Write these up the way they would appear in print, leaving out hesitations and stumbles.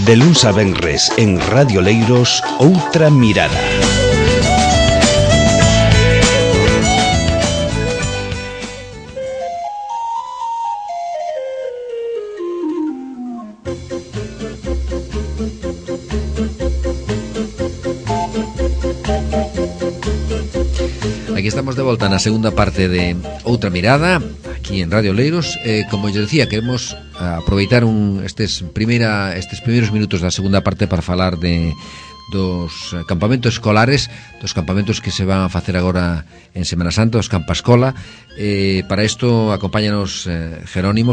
De luns a venres en Radio Leiros, Outra Mirada. Aquí estamos de volta na segunda parte de Outra Mirada, aquí en Radio Leiros. Como eu decía, queremos aproveitar estes primeiros minutos da segunda parte para falar dos campamentos escolares, dos campamentos que se van a facer agora en Semana Santa, os Campa Escola. Para isto acompáñanos Jerónimo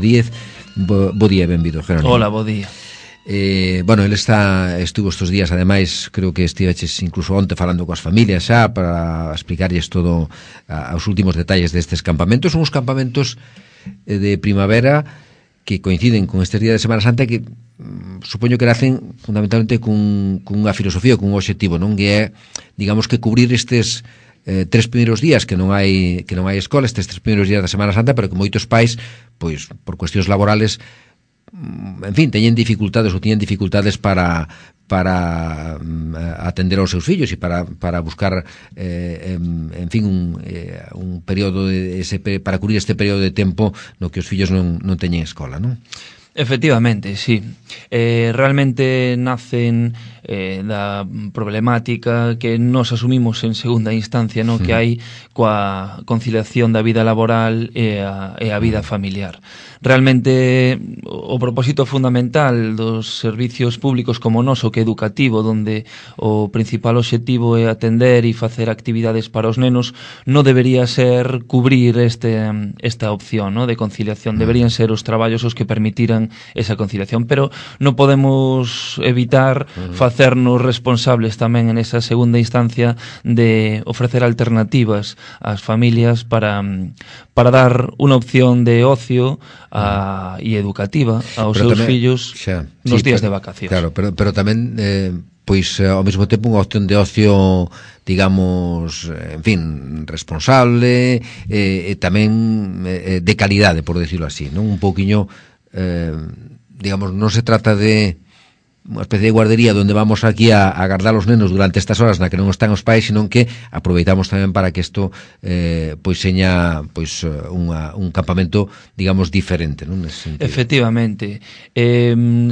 Díez. Bo día, benvido, Jerónimo. Hola, bo día. Bueno, ele estuvo estes días, ademais, creo que estiveches incluso onte falando coas familias xa para explicarlles todo os últimos detalles destes campamentos. Son uns campamentos de primavera que coinciden con estes días de Semana Santa que supoño que nacen fundamentalmente cunha filosofía, cun obxectivo, non? Que é, digamos, que cubrir estes 3 primeiros días que non hai escola, estes 3 primeiros días da Semana Santa, pero que moitos pais, pois, por cuestións laborales, en fin, tiñen dificultades para atender aos seus fillos e para buscar en fin un período para cubrir este período de tempo no que os fillos non teñen escola, non? Efectivamente, sí. Realmente nacen da problemática que nos asumimos en segunda instancia, no? Que hai coa conciliación da vida laboral e a vida familiar. Realmente o propósito fundamental dos servicios públicos como o noso, que é educativo, donde o principal obxectivo é atender e facer actividades para os nenos, non debería ser cubrir esta opción, no? De conciliación. Deberían ser os traballos os que permitiran esa conciliación, pero non podemos evitar facernos responsables tamén en esa segunda instancia de ofrecer alternativas ás familias para dar unha opción de ocio e educativa aos seus fillos nos días de vacacións. Claro, pero tamén pois ao mesmo tempo unha opción de ocio, digamos, en fin, responsable e tamén de calidade, por decirlo así, non? Un pouquiño, digamos, non se trata de unha especie de guardería onde vamos aquí a agardar os nenos durante estas horas na que non están os pais, sino que aproveitamos tamén para que isto pois seña pois un campamento, digamos, diferente, non? Efectivamente.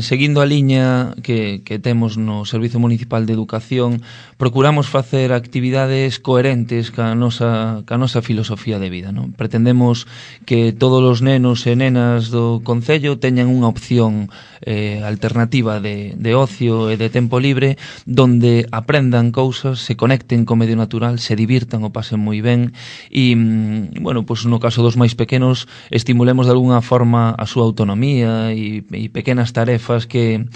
Seguindo a liña que temos no Servizo Municipal de Educación, procuramos facer actividades coherentes ca nosa filosofía de vida, non? Pretendemos que todos os nenos e nenas do concello teñan unha opción alternativa de ocio e de tempo libre donde aprendan cousas, se conecten co medio natural, se divirtan, o pasen moi ben e, bueno, pues no caso dos máis pequenos estimulemos de alguna forma a súa autonomía e pequenas tarefas que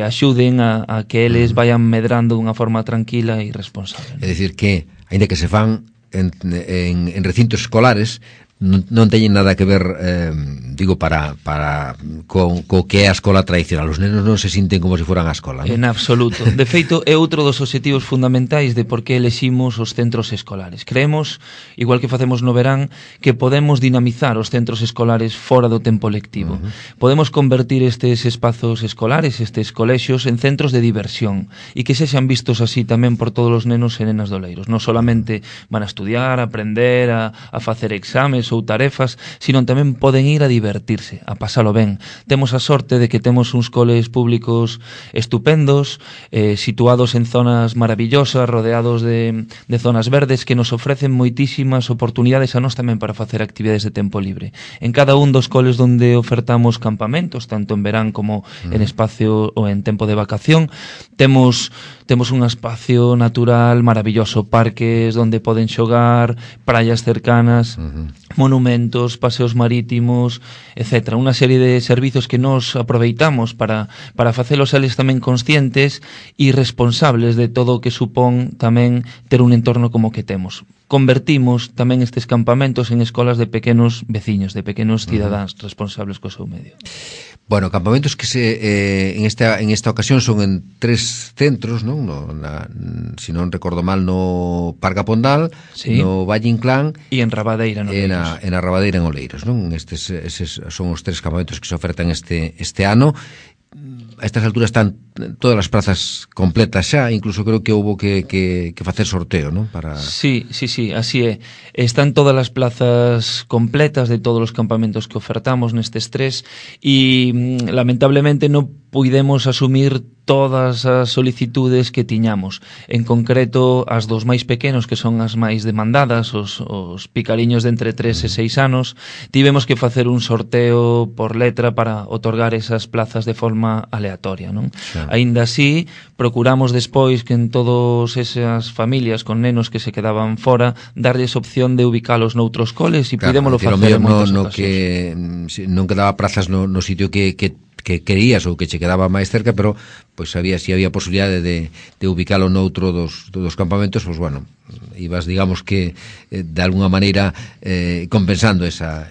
axuden a que eles vayan medrando dunha forma tranquila e responsable. É dicir que, aínda que se fan en recintos escolares, non teñen nada que ver, digo, co que é a escola tradicional. Os nenos non se sinten como se foran a escola, non? En absoluto. De feito, é outro dos obxectivos fundamentais de por que eleximos os centros escolares. Creemos, igual que facemos no verán, que podemos dinamizar os centros escolares fora do tempo lectivo. Podemos convertir estes espazos escolares, estes colexios, en centros de diversión e que sexan vistos así tamén por todos os nenos e nenas do Leiros. Non solamente van a estudiar, a aprender, a facer exames ou tarefas, sino tamén poden ir a divertirse, a pasalo ben. Temos a sorte de que temos uns coles públicos estupendos, situados en zonas maravillosas, rodeados de zonas verdes que nos ofrecen moitísimas oportunidades a nós tamén para facer actividades de tempo libre. En cada un dos coles donde ofertamos campamentos, tanto en verán como en espacio ou en tempo de vacación, temos un espacio natural maravilloso, parques donde poden xogar, praias cercanas, monumentos, paseos marítimos, etc. Unha serie de servizos que nos aproveitamos para facelos eles tamén conscientes e responsables de todo o que supón tamén ter un entorno como que temos. Convertimos tamén estes campamentos en escolas de pequenos veciños, de pequenos cidadáns responsables co seu medio. Bueno, campamentos que en esta ocasión son en 3 centros, non? Si non recordo mal, no Parque Pondal, sí, no Valle Inclán e en Rabadeira, no Oleiros. En Rabadeira, en Oleiros, non? Estes son os 3 campamentos que se ofertan este ano. a estas alturas están todas as plazas completas xa, incluso creo que houbo que facer sorteo, ¿no? Para... Sí, así é. Están todas as plazas completas de todos os campamentos que ofertamos nestes 3 e lamentablemente non puidemos asumir todas as solicitudes que tiñamos. En concreto, as dos máis pequenos, que son as máis demandadas, os picariños de entre 3 e 6 anos, tivemos que facer un sorteo por letra para otorgar esas plazas de forma aleatoria, non? Claro. Aínda así, procuramos despois que en todas esas familias con nenos que se quedaban fora, darles opción de ubicalos noutros coles e claro, pudémolo facer en moitas ocasións. Que non quedaba plazas no sitio que querías ou que che quedaba máis cerca, pero pois había posibilidade de ubicalo noutro dos campamentos, pois bueno, ibas, digamos que de alguna maneira compensando esa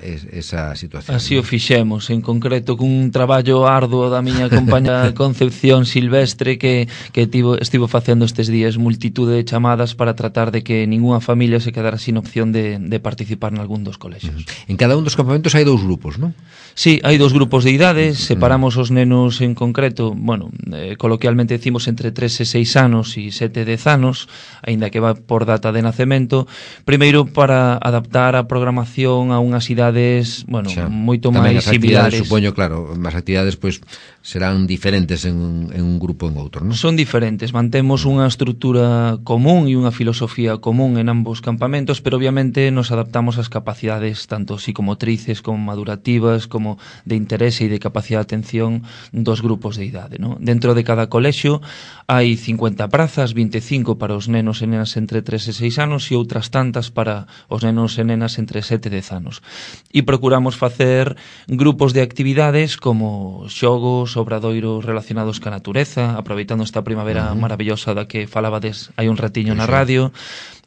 situación. Así o fixemos, en concreto cun traballo arduo da miña compañera Concepción Silvestre que estivo facendo estes días multitude de chamadas para tratar de que ninguna familia se quedara sin opción de participar nalgún dos colexios. En cada un dos campamentos hai 2 grupos, non? Sí, hai 2 grupos de idades, separamos os nenos en concreto, bueno, coloquialmente decimos entre 3 e 6 anos e 7 e 10 anos, aínda que va por data de nacemento, primeiro para adaptar a programación a unhas idades, bueno, moito máis similares. Supoño, claro, as actividades pois serán diferentes en un grupo en outro, non? Son diferentes, mantemos unha estrutura común e unha filosofía común en ambos campamentos, pero obviamente nos adaptamos ás capacidades tanto psicomotrices como madurativas, como de interese e de capacidade de atención dos grupos de idade, ¿no? Dentro de cada colexio hai 50 prazas, 25 para os nenos e nenas entre 3 e 6 anos e outras tantas para os nenos e nenas entre 7 e 10 anos. E procuramos facer grupos de actividades como xogos, obradoiros relacionados ca natureza, aproveitando esta primavera maravillosa da que falabades hai un ratiño na radio,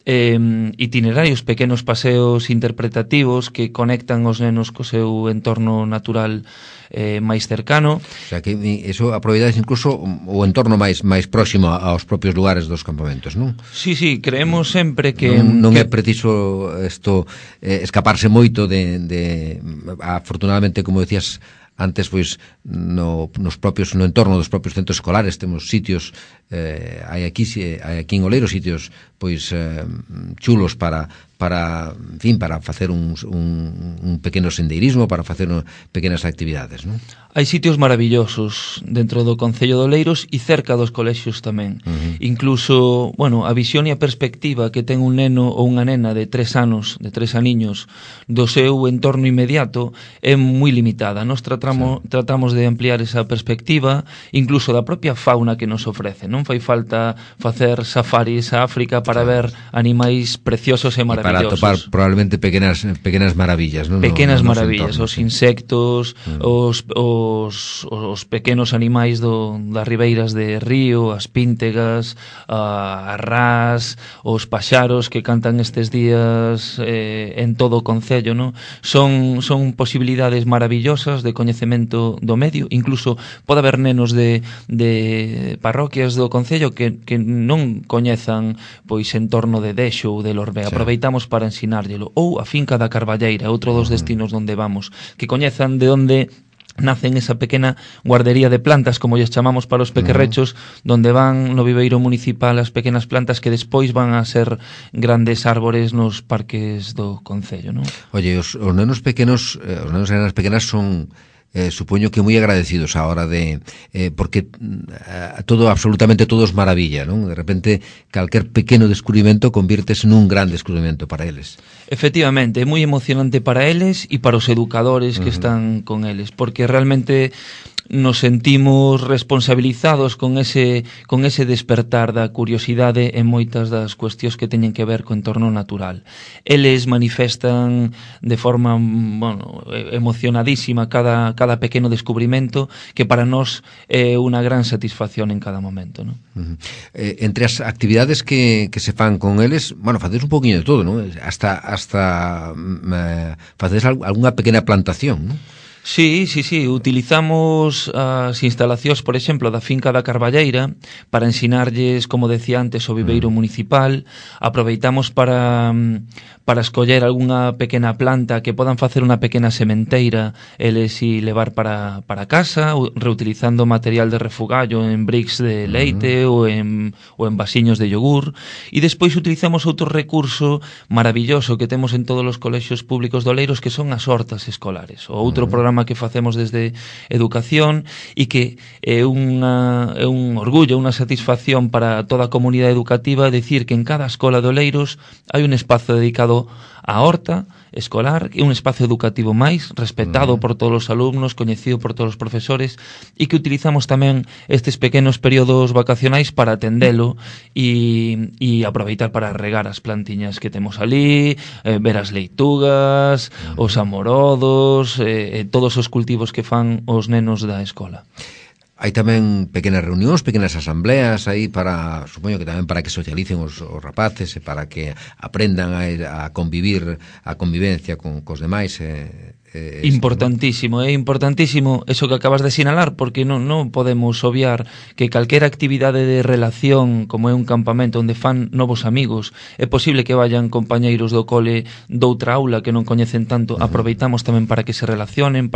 itinerarios, pequenos paseos interpretativos que conectan os nenos co seu entorno natural máis cercano. O sea, que eso aproveitades incluso o entorno máis próximo aos propios lugares dos campamentos, non? Sí, creemos sempre que... Non é preciso isto escaparse moito afortunadamente, como decías antes, pois no entorno dos propios centros escolares temos sitios, hai aquí en Oleiros sitios pois chulos para facer un pequeno sendeirismo, para facer pequenas actividades, non? Hai sitios maravillosos dentro do Concello de Oleiros e cerca dos colexios tamén. Incluso, bueno, a visión e a perspectiva que ten un neno ou unha nena de 3 anos, de 3 aniños, do seu entorno inmediato é moi limitada. Nos tratamos de ampliar esa perspectiva, incluso da propia fauna que nos ofrece. Non fai falta facer safaris a África para ver animais preciosos e maravillosos. Para atopar probablemente pequenas maravillas, non? Pequenas maravillas, os insectos, os pequenos animais das ribeiras de río, as píntegas, as rás, os paxaros que cantan estes días en todo o concello, non? Son posibilidades maravillosas de coñecemento do medio, incluso pode haber nenos de parroquias do concello que non coñezan pois entorno de Dexo ou de Lorbe. Aproveitamos para ensinárllelo. Ou a finca da Carballeira, outro dos destinos onde vamos, que coñezan de onde nacen esa pequena guardería de plantas, como lles chamamos para os pequerrechos, donde van no viveiro municipal as pequenas plantas que despois van a ser grandes árbores nos parques do concello, non? Oye, os nenos pequenos, os nenos e nenas pequenas son... supoño que moi agradecidos a hora de porque absolutamente todo es maravilla, non? De repente calquer pequeno descubrimento convírtese nun gran descubrimento para eles. Efectivamente, é moi emocionante para eles e para os educadores que están con eles, porque realmente nos sentimos responsabilizados con ese despertar da curiosidade en moitas das cuestións que teñen que ver co entorno natural. Eles manifestan de forma, bueno, emocionadísima cada pequeno descubrimento que para nós é unha gran satisfacción en cada momento, non? Entre as actividades que se fan con eles, bueno, facedes un poquinho de todo, non? Hasta facedes algunha pequena plantación, non? Sí, utilizamos as instalacións, por exemplo, da finca da Carballeira para ensinarlles, como decía antes, o viveiro municipal. Aproveitamos para escoller algunha pequena planta que podan facer unha pequena sementeira eles e levar para casa, reutilizando material de refugallo en bricks de leite ou en vasiños de yogur. E despois utilizamos outro recurso maravilloso que temos en todos os colexios públicos de Oleiros, que son as hortas escolares, o outro programa que facemos desde Educación e que é un orgullo, unha satisfacción para toda a comunidade educativa decir que en cada escola de Oleiros hai un espazo dedicado á horta escolar, un espazo educativo máis respetado por todos os alumnos, coñecido por todos os profesores, e que utilizamos tamén estes pequenos períodos vacacionais para atendelo e aproveitar para regar as plantiñas que temos ali, ver as leitugas, os amorodos, todos os cultivos que fan os nenos da escola. Hai tamén pequenas reunións, pequenas asambleas aí para, supoño que tamén para que socialicen os rapaces e para que aprendan a convivir, a convivencia cos demais. Importantísimo, é importantísimo eso que acabas de sinalar, porque non podemos obviar que calquera actividade de relación, como é un campamento onde fan novos amigos, é posible que vayan compañeiros do cole doutra aula que non coñecen tanto. Aproveitamos tamén para que se relacionen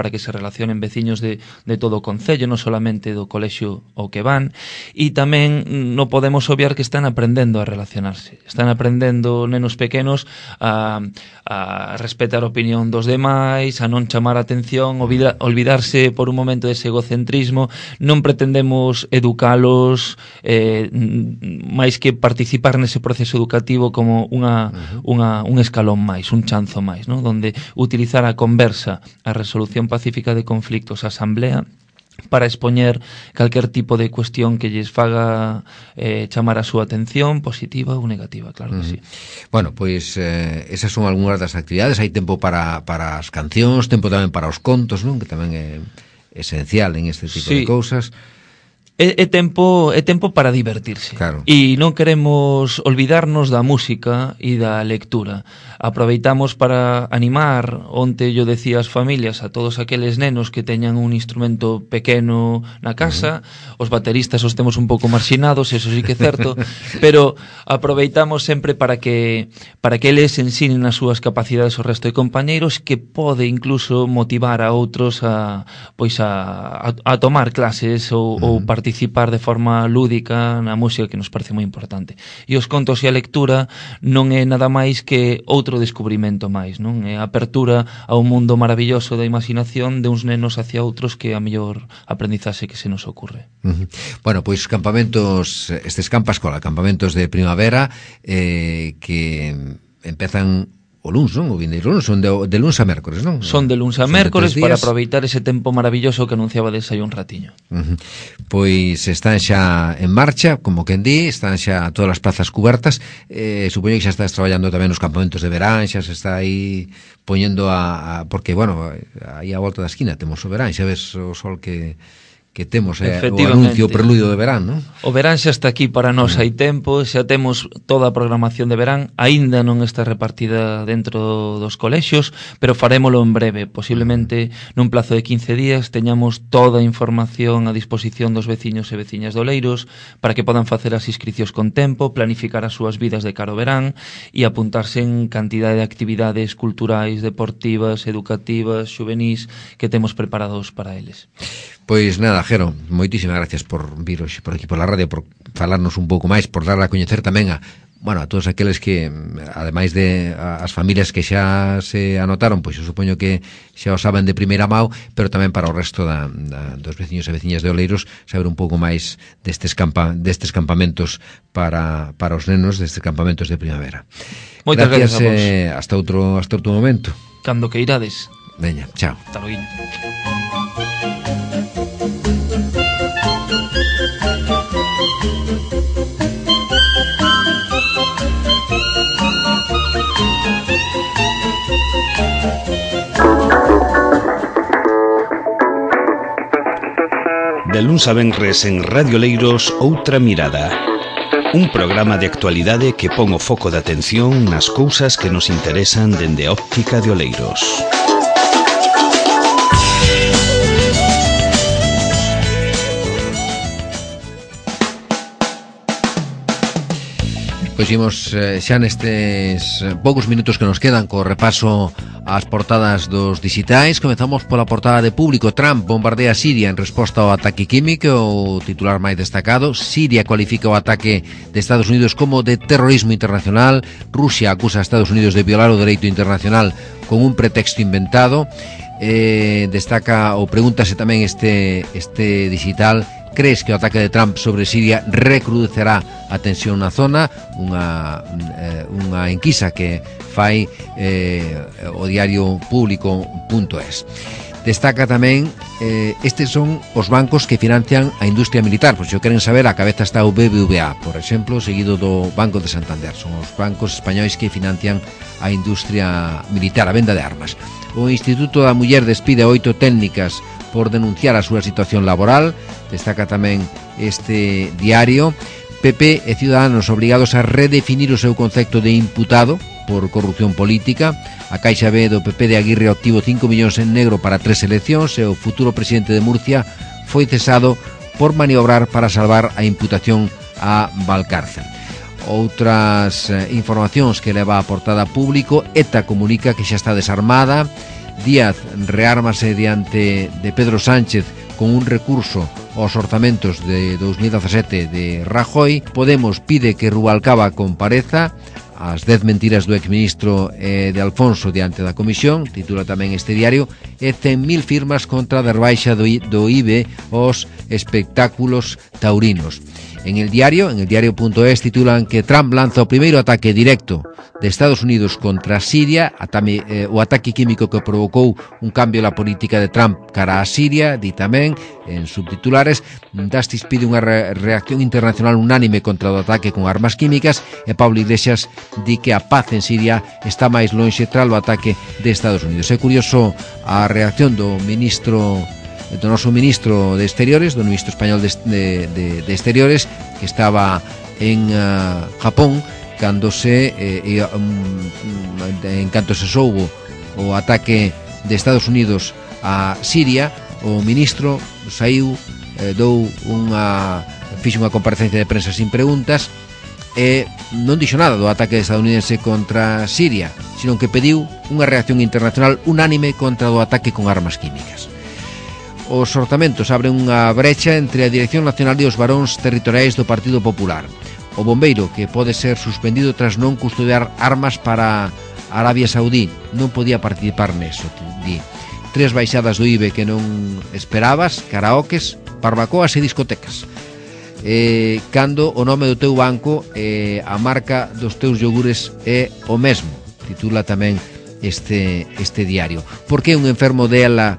veciños de todo o concello, non solamente do colexio ao que van, e tamén non podemos obviar que están aprendendo a relacionarse, están aprendendo nenos pequenos a respetar a opinión dos demais, a non chamar a atención, olvidarse por un momento dese egocentrismo. Non pretendemos educalos máis que participar nese proceso educativo como un escalón máis, un chanzo máis, ¿no? Donde utilizar a conversa, a resolución pacífica de conflictos, a asamblea, para expoñer calquer tipo de cuestión que lles faga chamar a súa atención, positiva ou negativa, claro que sí. Bueno, pois esas son algunhas das actividades. Hai tempo para as cancións, tempo tamén para os contos, non? Que tamén é esencial en este tipo de cousas. É tempo para divertirse. Claro. E non queremos olvidarnos da música e da lectura. Aproveitamos para animar, onte yo decía as familias, a todos aqueles nenos que teñan un instrumento pequeno na casa. Os bateristas os temos un pouco marxinados, eso sí que é certo, pero aproveitamos sempre para que eles ensinen as súas capacidades ao resto de compañeiros, que pode incluso motivar a outros a tomar clases ou participar de forma lúdica na música, que nos parece moi importante. E os contos e a lectura non é nada máis que outro descubrimento máis, non? É a apertura a un mundo maravilloso da imaginación de uns nenos hacia outros, que é a mellor aprendizaxe que se nos ocurre. Bueno, pois campamentos, estes campa-escola, campamentos de primavera que empezan o luns, non? O vindeiro luns, son de luns a mércores, non? Son de luns a mércores para aproveitar ese tempo maravilloso que anunciaba desai un ratiño. Pois están xa en marcha, como quen di, están xa todas as plazas cubertas. Supoño que xa estás traballando tamén nos campamentos de verán, xa se está aí poñendo porque, bueno, aí a volta da esquina temos o verán, xa ves o sol que temos, o anuncio, o preludio de verán, non? O verán xa está aquí para nós, hai tempo, xa temos toda a programación de verán, aínda non está repartida dentro dos colexios, pero farémolo en breve, posiblemente nun plazo de 15 días teñamos toda a información a disposición dos veciños e veciñas de Oleiros para que podan facer as inscricións con tempo, planificar as súas vidas de cara ao verán e apuntarse en cantidade de actividades culturais, deportivas, educativas, xuvenís que temos preparados para eles. Pois nada, Jero, moitísimas gracias por vir hoxe por aquí por la radio, por falarnos un pouco máis, por darla a coñecer tamén a todos aqueles que, ademais de as familias que xa se anotaron, pois eu supoño que xa o saben de primeira mão, pero tamén para o resto dos veciños e veciñas de Oleiros saber un pouco máis destes campamentos para os nenos, destes campamentos de primavera. Moitas gracias a vos. Hasta outro momento. Cando que irades. Veña, chao. Hasta logo. De luns a venres en Radio Leiros, Outra Mirada. Un programa de actualidade que pon o foco de atención nas cousas que nos interesan dende a óptica de Oleiros. Pois imos xa nestes poucos minutos que nos quedan co repaso ás portadas dos digitais. Comezamos pola portada de Público. Trump bombardea Siria en resposta ao ataque químico. O titular máis destacado: Siria cualifica o ataque de Estados Unidos como de terrorismo internacional. Rusia acusa a Estados Unidos de violar o dereito internacional con un pretexto inventado. Destaca ou pregúntase tamén este digital: crees que o ataque de Trump sobre Siria recrudecerá a tensión na zona? Unha enquisa que fai o diario Público.es. Destaca tamén estes son os bancos que financian a industria militar. Pois se o queren saber, a cabeza está o BBVA, por exemplo, seguido do Banco de Santander. Son os bancos españois que financian a industria militar, a venda de armas. O Instituto da Muller despide 8 técnicas por denunciar a súa situación laboral. Destaca tamén este diario. PP e Ciudadanos obrigados a redefinir o seu concepto de imputado por corrupción política. A Caixa B do PP de Aguirre obtivo 5 millóns en negro para 3 eleccións e o futuro presidente de Murcia foi cesado por maniobrar para salvar a imputación a Valcárcel. Outras informacións que leva a portada Público. ETA comunica que xa está desarmada. Díaz reármase diante de Pedro Sánchez con un recurso aos orzamentos de 2017 de Rajoy. Podemos pide que Rubalcaba compareza. As 10 mentiras do exministro de Alfonso diante da comisión, titula tamén este diario. E 100.000 firmas contra a rebaixa do IBE aos espectáculos taurinos. En el diario.es titulan que Trump lanza o primeiro ataque directo de Estados Unidos contra Siria, o ataque químico que provocou un cambio na política de Trump cara a Siria. Di tamén, en subtitulares, Dastis pide unha reacción internacional unánime contra o ataque con armas químicas, e Pablo Iglesias di que a paz en Siria está máis lonxe tras o ataque de Estados Unidos. É curioso a reacción do noso ministro de Exteriores, do ministro español de Exteriores, que estaba en Japón cando en canto se soubo o ataque de Estados Unidos a Siria. O ministro saiu, fixo unha comparecencia de prensa sin preguntas e non dixo nada do ataque estadounidense contra Siria, sino que pediu unha reacción internacional unánime contra o ataque con armas químicas. Os orzamentos abren unha brecha entre a Dirección Nacional e os varóns territoriais do Partido Popular. O bombeiro, que pode ser suspendido tras non custodiar armas para Arabia Saudí, non podía participar neso, di. 3 baixadas do IBE que non esperabas: karaokes, barbacoas e discotecas. Cando o nome do teu banco e a marca dos teus iogures é o mesmo, titula tamén este diario. Por que un enfermo dela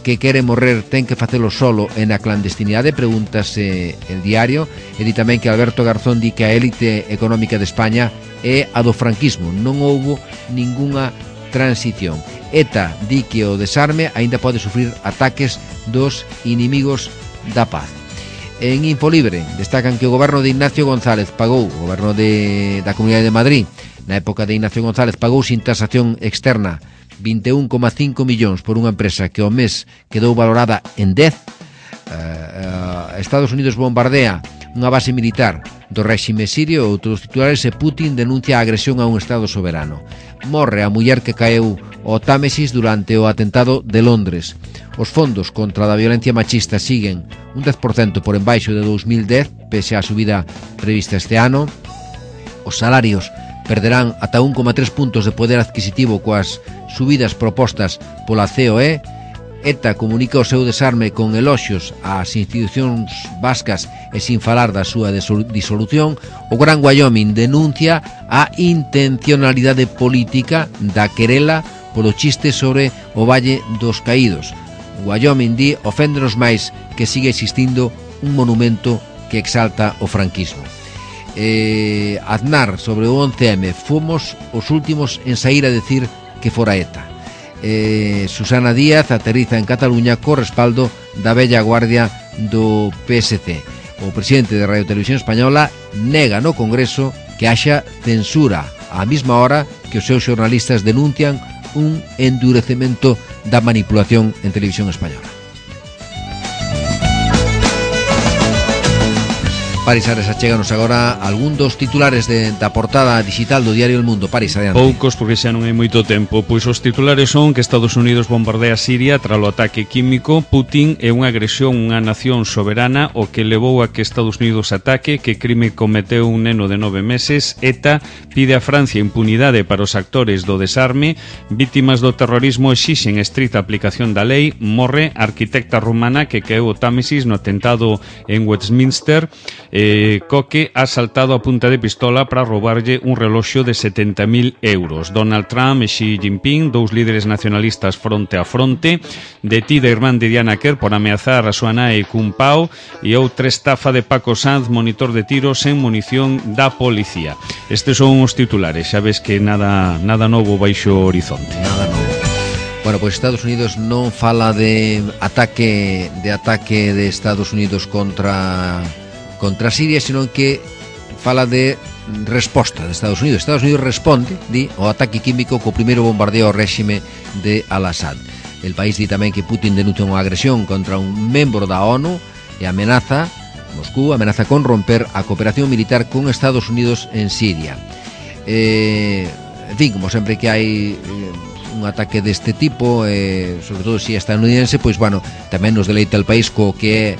que quere morrer ten que facelo solo e na clandestinidade? Pregúntase el diario. E di tamén que Alberto Garzón di que a élite económica de España é a do franquismo, non houbo ningunha transición. ETA di que o desarme aínda pode sufrir ataques dos inimigos da paz. En Infolibre destacan que o goberno de Ignacio González pagou, o goberno da Comunidade de Madrid, na época de Ignacio González, pagou sin tasación externa 21,5 millóns por unha empresa que ao mes quedou valorada en 10. Estados Unidos bombardea unha base militar do réxime sirio. Outros titulares: e Putin denuncia a agresión a un estado soberano. Morre a muller que caeu ao Támesis durante o atentado de Londres. Os fondos contra a violencia machista siguen un 10% por embaixo de 2010, pese á subida prevista este ano. Os salarios perderán ata 1,3 puntos de poder adquisitivo coas subidas propostas pola COE. ETA comunica o seu desarme con eloxios ás institucións vascas e sin falar da súa disolución. O Gran Wyoming denuncia a intencionalidade política da querela polo chiste sobre o Valle dos Caídos. Wyoming di oféndenos máis que sigue existindo un monumento que exalta o franquismo. Aznar sobre o 11M: fomos os últimos en saír a decir que fora ETA. Susana Díaz aterriza en Cataluña co respaldo da vella guardia do PSC. O presidente de Radio Televisión Española nega no Congreso que haxa censura, á mesma hora que os seus xornalistas denuncian un endurecemento da manipulación en Televisión Española. Paris Ares, achéganos agora algún dos titulares da portada digital do diario El Mundo. Paris, adiante. Poucos, porque xa non hai moito tempo. Pois os titulares son que Estados Unidos bombardea Siria tras o ataque químico. Putin é unha agresión a unha nación soberana, o que levou a que Estados Unidos ataque. Que crime cometeu un neno de 9 meses. ETA pide a Francia impunidade para os actores do desarme. Vítimas do terrorismo exixen estrita aplicación da lei. Morre a arquitecta rumana que caeu o Támesis no atentado en Westminster. Coque ha saltado a punta de pistola para roubarlle un reloxo de 70.000 euros. Donald Trump e Xi Jinping, dous líderes nacionalistas fronte a fronte. Detida a irmán de Diana Kerr por ameazar a súa nai cun pau. E outra estafa de Paco Sanz, monitor de tiros en munición da policía. Estes son os titulares, xa ves que nada novo baixo o horizonte. Nada novo. Bueno, pois Estados Unidos non fala de ataque de Estados Unidos contra Siria, sino que fala de resposta de Estados Unidos. Estados Unidos responde, di, ao ataque químico co primeiro bombardeo ao réxime de Al-Assad. El país di tamén que Putin denuncia unha agresión contra un membro da ONU e Moscú amenaza con romper a cooperación militar con Estados Unidos en Siria. En fin, como sempre que hai un ataque deste tipo, sobre todo se é estadounidense, pois, bueno, tamén nos deleita el país co que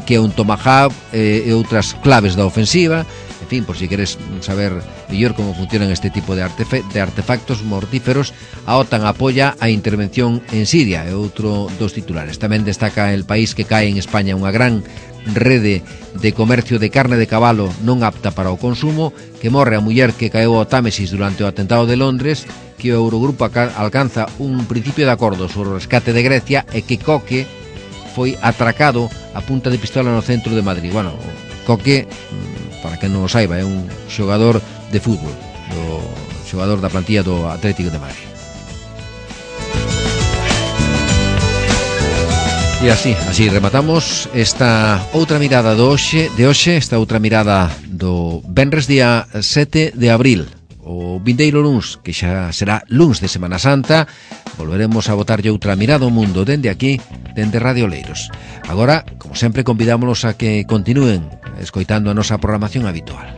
é un Tomahawk e outras claves da ofensiva. En fin, por si queres saber mellor como funcionan este tipo de artefactos mortíferos, a OTAN apoia a intervención en Siria, é outro dos titulares. Tamén destaca el país que cae en España unha gran rede de comercio de carne de cabalo non apta para o consumo, que morre a muller que caeu ao Támesis durante o atentado de Londres, que o Eurogrupo alcanza un principio de acordo sobre o rescate de Grecia e que Coque foi atracado a punta de pistola no centro de Madrid. Bueno, Coque, para que non o saiba, é un xogador de fútbol, o xogador da plantilla do Atlético de Madrid. E así rematamos esta outra mirada de hoxe, esta outra mirada do venres día 7 de abril. O vindeiro luns, que xa será luns de Semana Santa, volveremos a botarlle outra mirada ao mundo dende aquí, dende Radio Oleiros. Agora, como sempre, convidámonos a que continúen escoitando a nosa programación habitual.